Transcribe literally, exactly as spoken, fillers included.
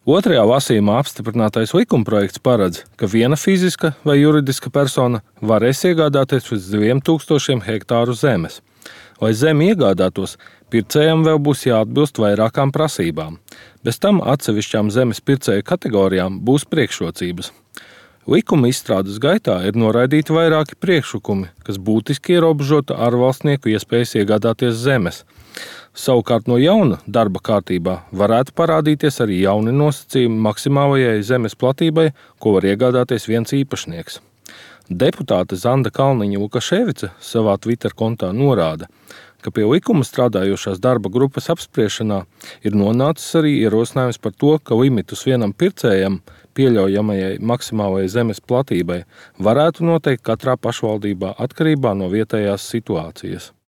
Otrajā lasījumā apstiprinātais likumprojekts paredz, ka viena fiziska vai juridiska persona varēs iegādāties līdz diviem tūkstošiem hektāru zemes. Lai zemi iegādātos, pircējam vēl būs jāatbilst vairākām prasībām. Bez tam atsevišķām zemes pircēju kategorijām būs priekšrocības. Likuma izstrādes gaitā ir noraidīti vairāki priekšlikumi, kas būtiski ierobežota ārvalstnieku iespējas iegādāties zemes. Savukārt no jauna darba kārtībā varētu parādīties arī jauni nosacījumi maksimālajai zemes platībai, ko var iegādāties viens īpašnieks. Deputāte Zanda Kalniņa-Lukaševica savā Twitter kontā norāda, ka pie likuma strādājošās darba grupas apspriešanā ir nonācis arī ierosinājums par to, ka limitus vienam pircējam pieļaujamajai maksimālajai zemes platībai varētu noteikt katrā pašvaldībā atkarībā no vietējās situācijas.